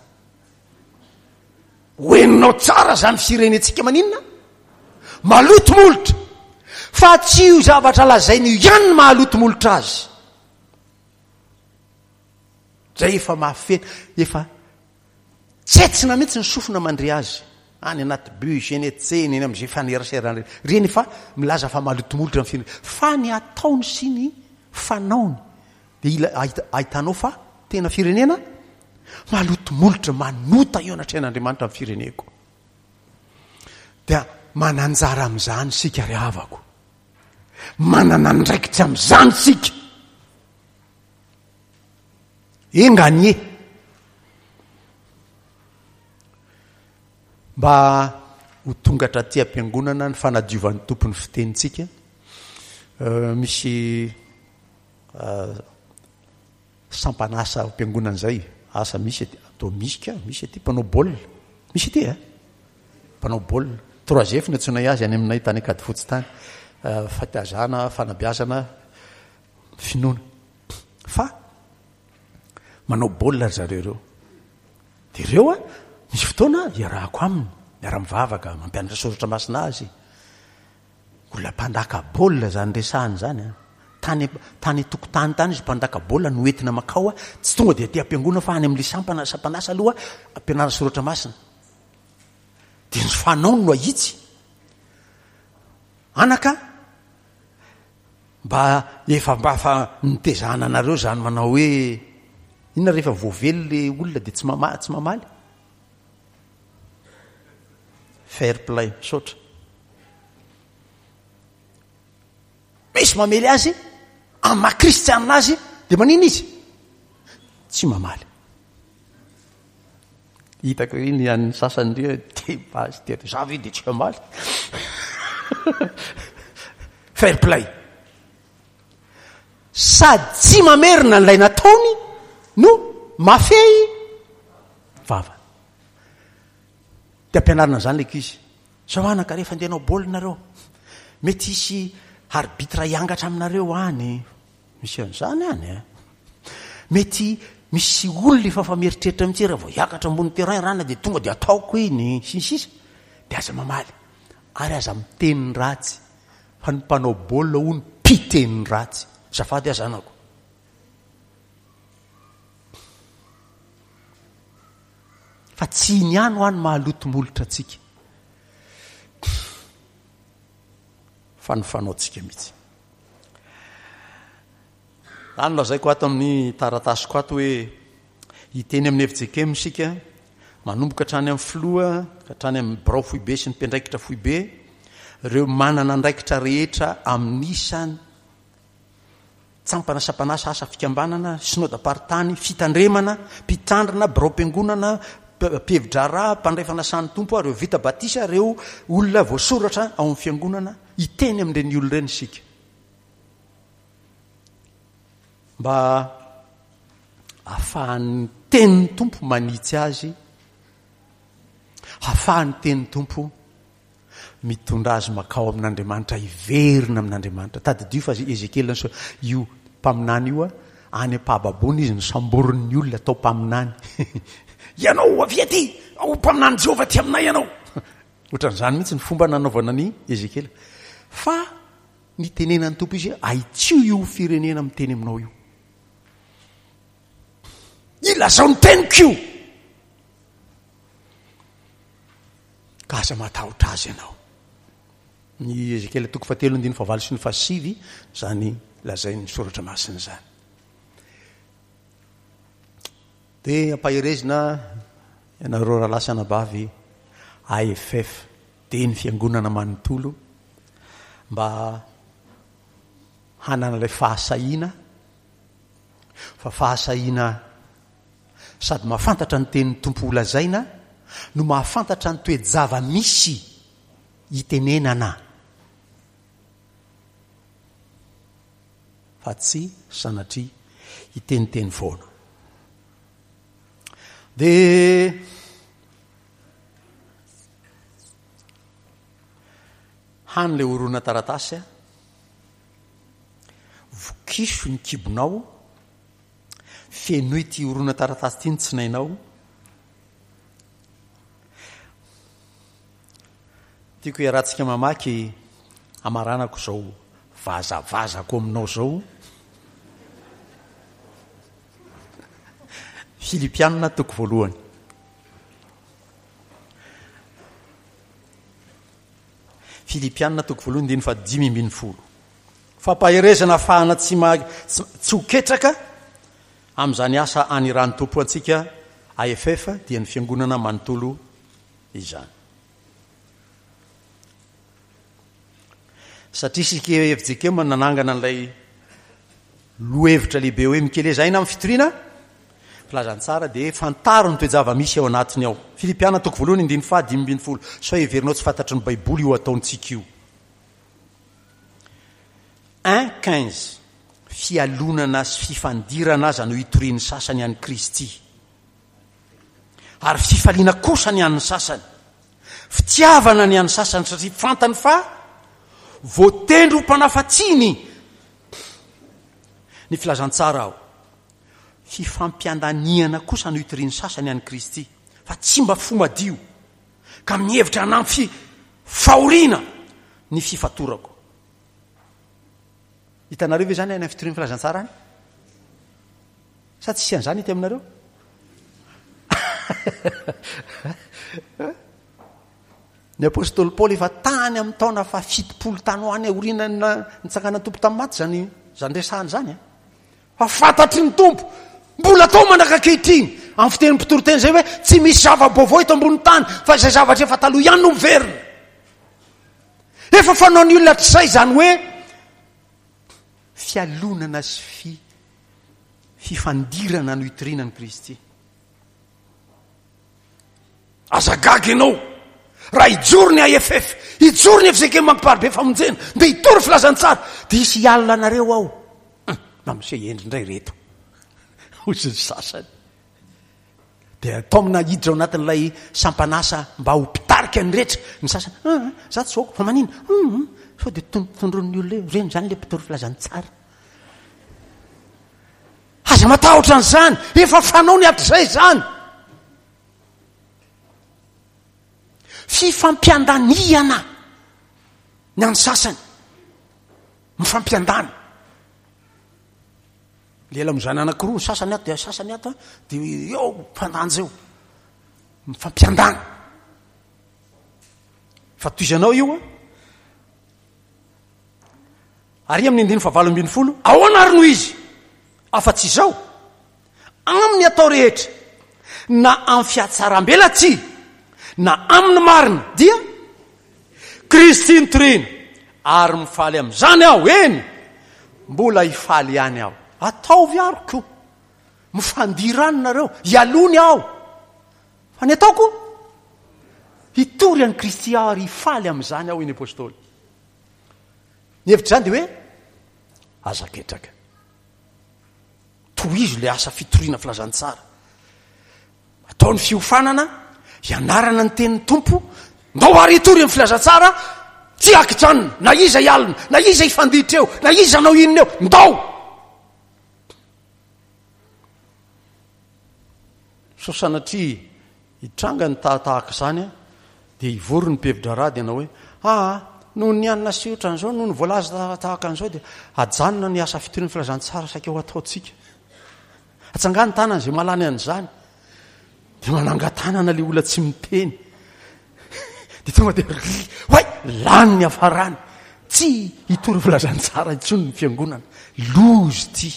Ho henonao tsara izany firenentsika maninona? Maloto molotra. Fa tsy io zavatra lazainy io ihany no mahaloto molotra azy. Zay efa mahafeno, efa tsetsina mihitsy ny sofina mandre azy. Any anaty bus, eny an-tsena, eny amin'izay fanerasera reny fa milaza fa maloto molotra ny firenena. Fa ny ataony sy ny fanaony dia ila ahitanao fa tena firenena maloto molotra, manota eo anatrehan'Andriamanitra ny fireneko. Dia mananjara amin'izany isika ry havako. Manana andraikitra amin'izany isika. Enga anie mba ho tonga hatraty am-piangonana ny fanadiovan'ny Tompo ny fitenintsika. Misy sampan'asa ao am-piangonana izay, asa misy aty, atao misy ka, misy aty mpanao baolina, misy aty e, mpanao baolina, trois F no antsoinay azy any aminay tany Ankadifotsy tany, fitaizana, fanabeazana, finoana. Fa manao baolina ry zareo ireo. Dia ireo a, misy fotoana iarahako aminy, miara-mivavaka, mampianatra soratra masina azy. Olona mpandaka baolina izany resahana izany a. Tany, tany tokotany tany izy mpandaka baolina no entina makao a, tsy tonga dia aty am-piangonana fa any amin'ilay sampana, sampan'asa aloha ampianarana soratra masina. Dia ny fanaony no ahitsy. Anaka, mba efa mba fa nitezana anareo izany manao hoe Inona rehefa voavely le olona dia tsy mama- tsy mamaly? Fair play, misaotra. Misy mamely azy, amin'ny maha kristianina azy, dia manina izy? Tsy mamaly. Hitako iny ny an'ny sasany ndry dia bazy dia za ve dia tsy hamaly. Fair play. Sady tsy mamerina an'ilay nataony no mafehy vava. Dia ampianarina an'izany ilay ankizy. Zao anaka, rehefa andeha hanao baolina nareo, mety hisy arbitre hiangatra aminareo any. Misy an'izany any a. Mety misy olona efa fa mieritreritra mihitsy raha vao hiakatra ambony terrain rana dia tonga dia ataoko iny, sy ny sisa. Dia aza mamaly. Ary aza miteny ratsy. Fa ny mpanao baolina hono mpiteny ratsy. Azafady aho zanako. Fa tsy iny ihany ho any mahaloto molotra antsika. Fa ny fanaontsika mihitsy. Zany lazaiko ato amin'ny taratasiko ato hoe hiteny amin'ny F J K M isika, manomboka hatrany amin'ny filoha, hatrany amin'ny birao foibe sy ny mpiandraikitra foibe, ireo manana andraikitra rehetra amin'ny isan tsampana sampanasa, asa fikambanana, synodam-paritany, fitandremana, mpitandrina, biraom-piangonana, mpihevi-draharaha, mpandray fanasan'ny Tompo, ireo vita batisa, ireo olona voasoratra ao amin'ny fiangonana, hiteny amin'ireny olona ireny isika. Mba ahafahan'ny tenin'ny Tompo manitsy azy, ahafahan'ny tenin'ny Tompo mitondra azy makao amin'Andriamanitra, hiverina amin'Andriamanitra. Tadidio fa Ezekiela niseho, io mpaminany io, any am-pahababoana izy nosamborin'ny olona atao mpaminany. Ianao avy aty, ho mpaminany Jehovah aty aminay ianao. Ohatran'izany mihitsy ny fomba nanaovana an'i Ezekiela. Fa nitenenan'ny Tompo izy, ahitsio io firenena miteny aminao io. Ilazao ny teniko io. Ka aza matahotra azy ianao. Ny Ezekiela toko fahatelo andininy fahavalo sy ny fahasivy, izany lazain'ny soratra masina izany. Dia ampaherezina ianareo rahalahy sy anabavy A F F, dia ny fiangonana manontolo, mba hanana ilay fahasahiana, fa fahasahiana sady mahafantatra ny tenin'ny Tompo holazaina no mahafantatra ny toe-java-misy itenenana, fa tsy sanatria hiteniteny foana. Dia hany ilay horonan-taratasy, vokiso ny kibonao, fenoy ity horonan-taratasy ity ny tsinainao. Tiako hiarahantsika mamaky, hamaranako izao vazavazako aminao izao. Filipiana toko voalohany. Filipiana toko voalohany andininy fahadimy ambin'ny folo. Fampaherezana ahafahana tsy ma-, tsy, tsy ho ketraka amin'izany asa aniran'ny Tompo antsika A F F dia ny fiangonana manontolo izany. Satria isika F J K M nanangana an'ilay lohevitra lehibe hoe mikeleza aina amin'ny fitoriana filazantsara, dia fantaro ny toe-java-misy ao anatiny ao. Filipiana toko voalohany andininy fahadimy ambin'ny folo. Sao heverinao tsy fantatry ny Baiboly io ataontsika io. Un quinze. Fialonana sy fifandirana aza no hitorian'ny sasany an'i Kristy. Ary fifaliana kosa ny an'ny sasany. Fitiavana ny an'ny sasany satria fantany fa voatendry ho mpanafatsiny ny filazantsara aho. Fifampiandaniana kosa no hitorian'ny sasany an'i Kristy, fa tsy mba fo madio, ka mihevitra hanampy fahoriana ny fifatorako. Hitanareo ve izany any amin'ny fitorian'ny filazantsara any? Sa tsisy an'izany ety aminareo? Ny apostoly Paoly efa tany amin'ny taona fahafitopolo tany ho any aorian'ny nitsanganan'ny Tompo tamin'ny maty izany, izany resahana izany, eh? Fa fantatry ny Tompo Mbola atao mandraka ankehitriny amin'ny fitenin'ny mpitoriteny izay hoe tsy misy zava-baovao eto ambonin'ny tany fa izay zavatra efa taloha ihany no miverina. Efa fanaon'ny olona hatr'izay izany hoe fialonana sy fi fifandirana no itoriana an'i Kristy. Aza gaga ianao raha hijoro ny A F F, hijoro ny F G K Mamparibe Famonjena, dia hitory filazantsara, dia hisy hialona anareo ao. Hum, na miseho hendry indray ireto. Hoy ny sasany. Dia taomina hiditra ao anatin'ilay sampanasa mba ho mpitarika ny rehetra. Ny sasany, ah, za tsy voako, fa manina? Hum, hum, sao dia ton-, tondroin'ny olona eo, ireny izany ilay mpitory filazantsara. Aza matahotra an'izany, efa fanao ny hatrizay izany. Fifampiandaniana ny an'ny sasany, mifampiandany. Lela mizana anankiroa, ny sasany ato dia sasany ato, dia eo mpandanja eo, mifampiandany. Fa tohizanao io a. Ary amin'ny andininy fahavalo ambin'ny folo, ahoana ary no izy? Afa-tsy izao, amin'ny atao rehetra, na amin'ny fihatsarambelatsihy, na amin'ny marina, dia Kristy no torina, ary mifaly amin'izany aho, eny, mbola hifaly ihany aho. Ataovy aroko, mifandirano nareo, hialony aho. Fa ny ataoko, hitory an'i Kristy aho ary hifaly amin'izany aho, hoy ny apôstôly. Ny hevitra izany dia hoe, aza ketraka. Tohizo ilay asa fitoriana filazantsara. Atao ny fiofanana, hianarana ny tenin'ny Tompo, ndao ary hitory ny filazantsara, tsy hakijanona, na iza hialona, na iza hifanditra eo, na iza hanao inona eo, ndao! Sao sanatria hitranga ny tahatahaka izany, dia hivory ny mpihevi-draharaha dia hanao hoe, aa, noho ny hanina sy ohatran'izao, noho ny voalaza tahaka an'izao, dia ajanona ny asa fitoriana filazantsara saika ho ataontsika. Atsangano tanana izay mahalany an'izany. Dia manangan-tanana ilay olona tsy miteny. Dia tonga dia ry, oay, lany ny hafarany. Tsy hitory filazantsara intsony ny fiangonana. Loza ity.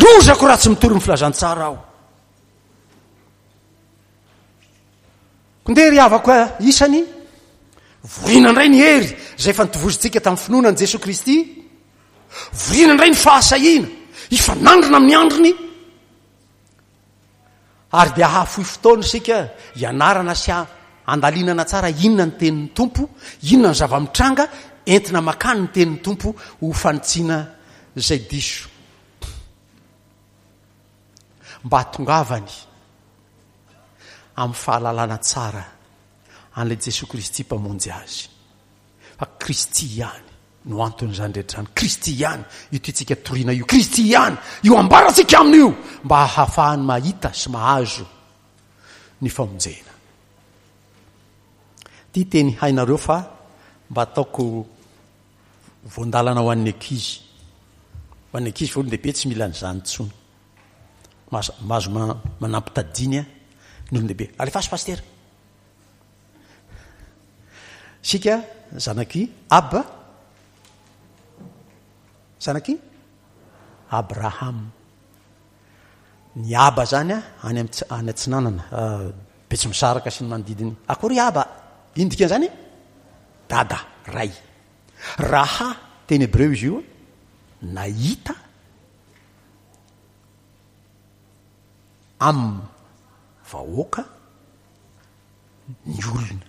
Lozako raha tsy mitory ny filazantsara aho. Ndeha ry havako isany, vorina indray ny hery izay efa nitovozontsika tamin'ny finoana an'i Jesoa Kristy. Vorina indray ny fahasahiana hifanandrina amin'ny androny. Ary dia hahafoy fotoana isika hianarana sy handalinana tsara inona ny tenin'ny Tompo, inona ny zava-mitranga entina makany ny tenin'ny Tompo ho fanitsiana izay diso. Mba hahatongavany amin'ny fahalalana tsara an'ilay Jesoa Kristy Mpamonjy azy. Fa Kristy ihany no anton'izany rehetra izany. Kristy ihany io tiantsika toriana io. Kristy ihany io ambarantsika aminy io mba hahafahany mahita sy mahazo ny famonjena. Ty teny hainareo fa mba ataoko voandalana ho an'ny ankizy. Ho an'ny ankizy fa olon-dehibe tsy mila an'izany intsony. Mahazo, mahazo ma-, manampy tadiny a, ny olon-dehibe. Alefaso pastera. Sika zanaky Ab, zanaky Abraham. Ny Aba zany a, any am-, any atsinanana, ah, Betsimisaraka sy ny manodidiny. Akory Aba? Ino dikan'izany? Dada, ray. Raha teny hebreo izy io, nahita am vahoaka ny olona.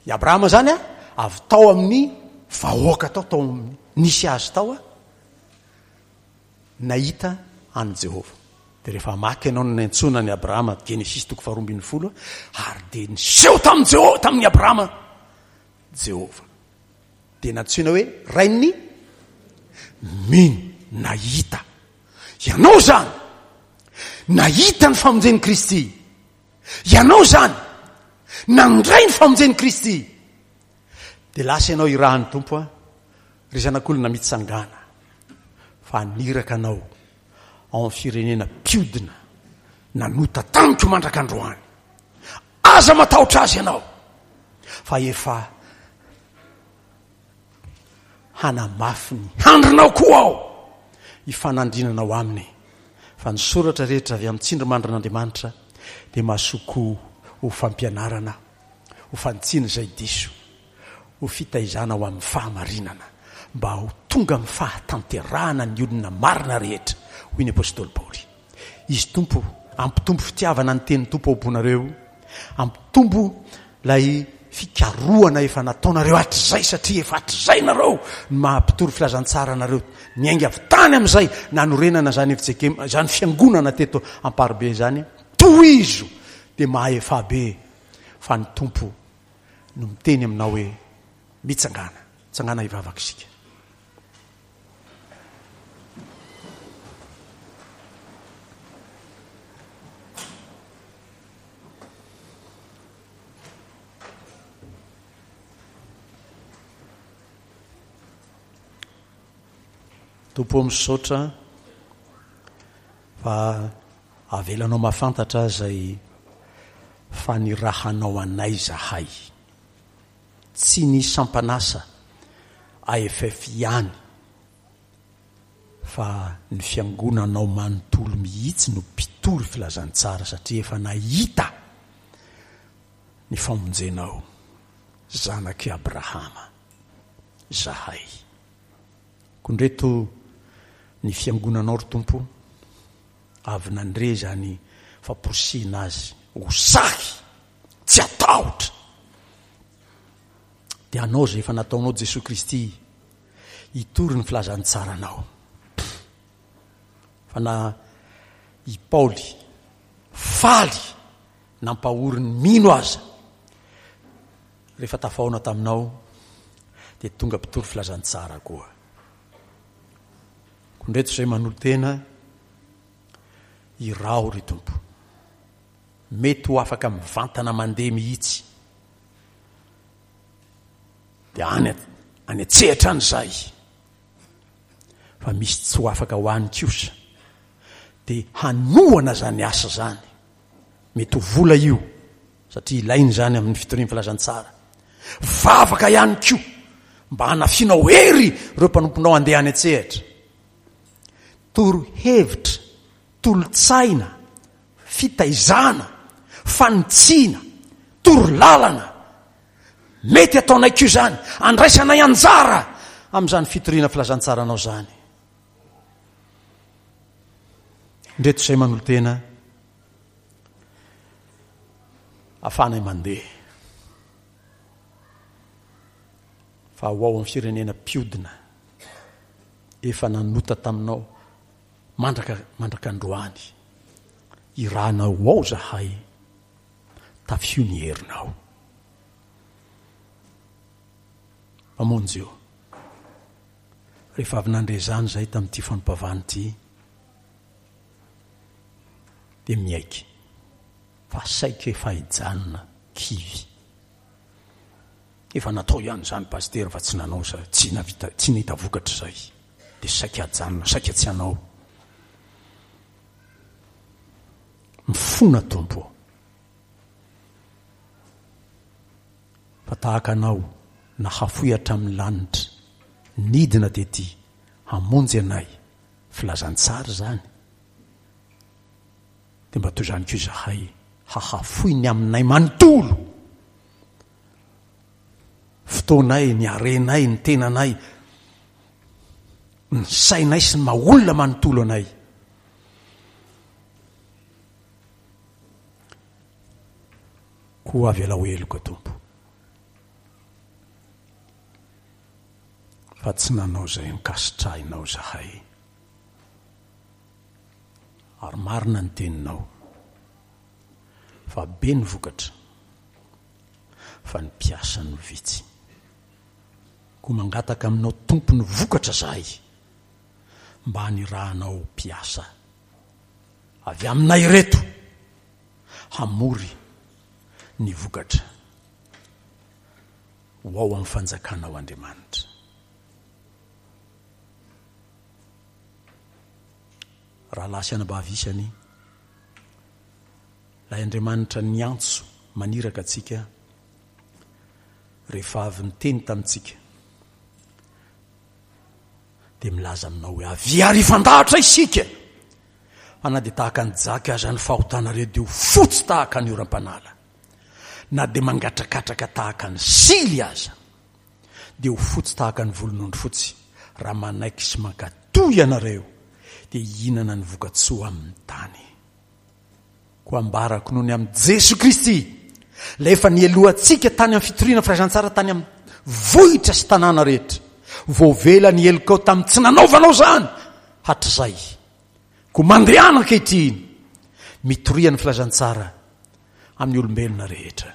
I Abrahama zany a, avy tao amin'ny vahoaka tao, tao amin'ny nisy azy tao a, nahita an'i Jehovah. Dia rehefa maka ianao ny niantsoana an'i Abrahama, Genesisy toko faharoa ambin'ny folo, ary dia niseho tamin'i Jeho-, tamin'i Abrahama Jehovah. Dia nantsoina hoe rain'ny mino, nahita. Ianao zany nahita ny famonjen'i Kristy. Ianao zany nandray ny famonjen'i Kristy. Dia lasa ianao irahan'ny Tompo a, ry zanak'olona mitsangàna, fa haniraka anao ao amin'ny firenena mpiodina nanota tamiko mandrak'androany. Aza matahotra azy ianao, fa efa hanamafy ny handrinao koa aho hifanandrinanao aminy Fa ny soratra rehetra avy amin'ny tsindrimandrin'Andriamanitra dia mahasoa koa ho fampianarana, ho fanitsiana izay diso, ho fitaizana ho amin'ny fahamarinana, mba ho tonga amin'ny fahatanterahana ny olona marina rehetra, hoy ny apostoly Paoly. Izy Tompo ampitombo fitiavana ny tenin'ny Tompo ao am-ponareo, ampitombo ilay fikarohana efa nataonareo hatrizay, satria efa hatrizay nareo ny maha mpitory filazantsara anareo, niainga avy tany amin'izay nanorenana izany F J K M, izany fiangonana teto Amparibe izany. Tohizo dia mahefa be fa ny Tompo no miteny aminao hoe mitsangàna, tsangàna hivavaka isika. Tompo misaotra fa avelanao mahafantatra izay fanirahanao anay zahay. Tsy ny sampanasa A F F ihany fa ny fiangonanao manontolo mihitsy no mpitory filazantsara, satria efa nahita ny famonjenao zanak'i Abrahama zahay. Kondreto ny fiangonanao ry Tompo, avy nandre izany famporisihina azy ho sahy, tsy hatahotra. Dia anao izay efa nataonao Jesoa Kristy hitory ny filazantsaranao. Fa na i Paoly faly nampahory ny mino aza, rehefa tafahaona taminao dia tonga mpitory filazantsara koa. Kondreto izay manolo-tena iraho ry Tompo. Mety ho afaka mivantana mandeha mihitsy. Dia any, any an-tsehatra any izahay. Fa misy tsy ho afaka ho any kosa. Dia hanohana izany asa izany. Mety ho vola io, satria ilaina izany amin'ny fitorian'ny filazantsara. Vavaka ihany koa mba hanafianao hery ireo mpanomponao handeha any an-tsehatra. Torohevitra, tolo-tsaina, fitaizana, fanitsiana, torolalana. Mety ataonay koa izany, andraisanay anjara amin'izany fitoriana filazantsaranao izany. Ndreto izay manolo-tena ahafahanay mandeha. Fa ho ao amin'ny firenena mpiodina efa nanota taminao mandraka, mandraka androany. Irahanao ao zahay, tafio ny herinao. Mamonjy eo. Rehefa avy nandre izany izahay tamin'ity fampavana ity, dia miaiky fa saika efa hijanona kivy. Efa natao ihany izany pasitera fa tsy nanao izay, tsy navita, tsy nahita vokatra izay. Dia saika hajanona, saika tsy hanao. Mifona Tompo. Fa tahaka anao nahafoy hatramin'ny lanitra, nidina tety hamonjy anay, filazantsara izany. Dia mba toy izany koa izahay hahafoy ny aminay manontolo. Fotoanay, ny harenay, ny tenanay, ny sainay sy ny maha olona manontolo anay. Koa avelao heloka Tompo, fa tsy nanao izay ankasitrahinao izahay. Ary marina ny teninao, fa be ny vokatra, fa ny mpiasa no vitsy. Koa mangataka aminao Tompo ny vokatra izahay, mba hanirahanao mpiasa avy aminay ireto hamory ny vokatra ho ao amin'ny fanjakanao Andriamanitra. Rahalahy sy anabavy isany, ilay Andriamanitra niantso maniraka antsika rehefa avy niteny tamintsika dia milaza aminao hoe avia ary hifandahatra isika Fa na dia tahaka ny jaky aza ny fahotanareo dia ho fotsy tahaka ny oram-panala. Na dia mangatrakatraka tahaka ny sily aza dia ho fotsy tahaka ny volon'ondry fotsy. Raha manaiky sy mankatò ianareo dia hihinana ny vokatsoa amin'ny tany. Koa ambarako noho ny amin'i Jesoa Kristy, ilay efa nihelohantsika tany amin'ny fitoriana filazantsara tany amin'ny vohitra sy tanàna rehetra. Voavela ny helokao tamin'ny tsy nanaovanao izany hatrizay. Koa mandehana ankehitriny, mitoria ny filazantsara amin'ny olombelona rehetra,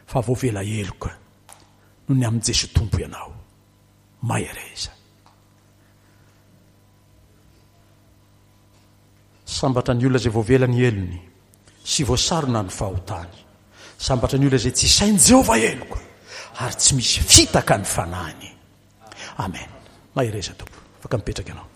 fa voavela heloka noho ny amin'i Jesoa Tompo ianao. Mahereza. Sambatra ny olona izay voavela ny helony sy voasarona ny fahotany. Sambatra ny olona izay tsy isain'i Jehovah heloka ary tsy misy fitaka ny fanahiny. Amen. Mahereza Tompo. Afaka mipetraka ianao.